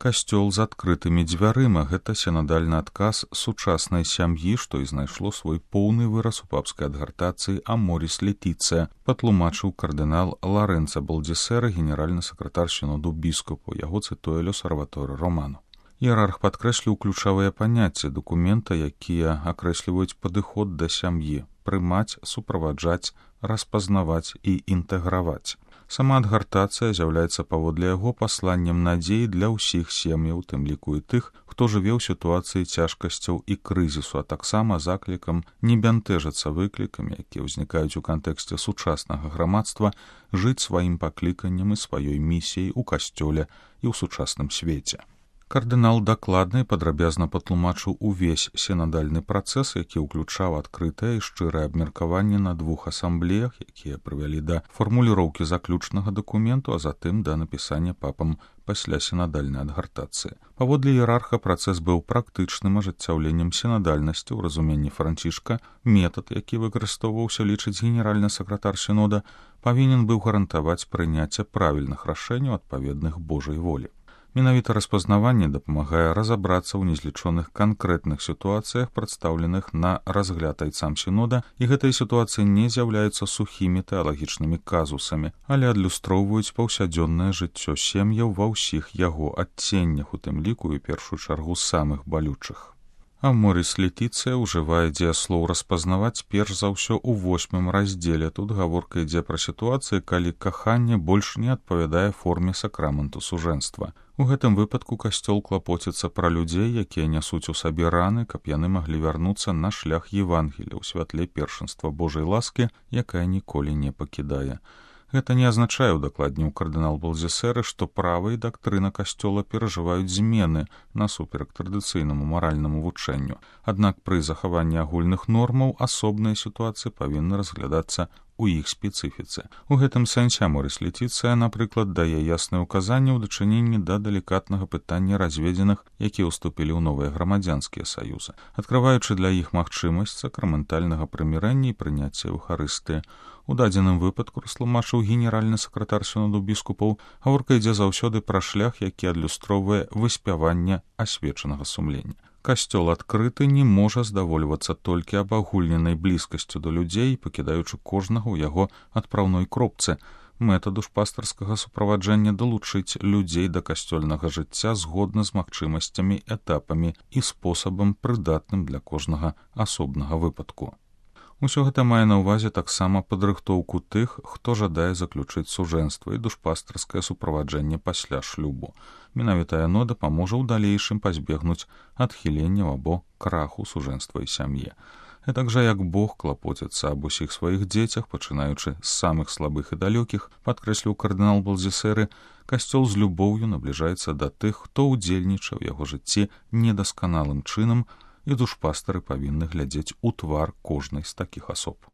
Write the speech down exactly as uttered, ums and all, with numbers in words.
Касцёл з адкрытымі дзвярыма — гэта сінадальны адказ сучаснай сям'і, што і знайшло свой поўны выраз у папскай адгартацыі «Аморіс Летіцыя», патлумачыў кардынал Ларэнца Балдзесера, генеральны сакратар сіноду біскупаў, яго цытуе L'Osservatore Romano. Іерарх падкрэсліў ключавыя паняцці дакумента, якія акрэсліваюць падыход да сям'і — прымаць, суправаджаць, распазнаваць і інтэграваць. Сама адгартацыя з'яўляецца паводле яго пасланнем надзеі для ўсіх сем'яў, тым ліку і тых, хто жыве ў сітуацыі цяжкасцяў і крызісу, а таксама заклікам не бянтэжыцца выклікамі, якія ўзнікаюць у кантэксце сучаснага грамадства, жыць сваім пакліканнем і сваёй місіяй у касцёле і ў сучасным свеце. Кардынал дакладна і падрабязна патлумачыў увесь сінадальны працэс, які ўключаў адкрытае і шчырае абмеркаванне на двух асамблеях, якія прывялі да фармуліроўкі заключнага дакументу, а затым да напісання папам пасля сінадальнай адгартацыі. Паводле іерарха працэс быў практычным ажыццяўленнем сінадальнасці ў разуменні Францішка. Метад, які выкарыстоўваўся, лічыць генеральны сакратар сінода, павінен быў гарантаваць прыняцце правільных рашэнняў адпаведных Божай волі. Менавіта распазнаванне дапамагае разабрацца ў незлічоных канкрэтных сітуацыях, прадстаўленых на разгляд айцам сінода, і гэтыя сітуацыі не з'яўляюцца сухімі тэалагічнымі казусамі, але адлюстроўваюць паўсядзённае жыццё сем'яў ва ўсіх яго адценнях, у тым ліку і першую чаргу самых балючых. Аморіс Летіцыя ўжывае дзеяслоў распазнаваць перш за ўсё ў восьмым раздзеле. Тут гаворка ідзе пра сітуацыі, калі каханне больш не адпавядае форме сакраменту сужэнства. У гэтым выпадку касцёл клапоціцца пра людзей, якія нясуць у сабе раны, каб яны маглі вярнуцца на шлях Евангелія ў святле першынства Божай ласкі, якая ніколі не пакідае. Гэта не азначае, удакладніў кардынал Балдзесеры, што права і дактрына касцёла перажываюць змены насуперак традыцыйнаму маральнаму вучэнню. Аднак пры захаванні агульных нормаў асобныя сітуацыі павінны разглядацца у іх спецыфіцы. У гэтым сэнсе Аморіс Летіцыя, напрыклад, дае ясныя ўказанні ў дачыненні да далікатнага пытання разведзеных, якія ўступілі ў новыя грамадзянскія саюзы, адкрываючы для іх магчымасць сакраментальнага прымірэння і прыняцця Еўхарыстыі. У дадзеным выпадку, растлумачыў генеральны сакратар сіноду біскупаў, гаворка ідзе заўсёды пра шлях, які адлюстроўвае выспяванне асвечанага сумлення. Касцёл адкрыты не можа здавольвацца толькі абагульненай блізкасцю да людзей, пакідаючы кожнага ў яго адпраўной кропцы. Мэта душпастарскага суправаджэння далучыць людзей да касцёльнага жыцця згодна з магчымасцямі, этапамі і спосабам, прыдатным для кожнага асобнага выпадку. Усё гэта мае на ўвазе таксама падрыхтоўку тых, хто жадае заключыць сужэнства і душпастарскае суправаджэнне пасля шлюбу. Менавіта яно дапаможа ў далейшым пазбегнуць адхіленняў або краху сужэнства і сям'і. Гэтак жа, як Бог клапоціцца аб усіх сваіх дзецях, пачынаючы з самых слабых і далёкіх, падкрэсліў кардынал Балдзесеры, касцёл з любоўю набліжаецца да тых, хто ўдзельнічаў у яго жыцці недасканалым чынам, і душпастары павінны глядзець у твар кожнай з такіх асоб.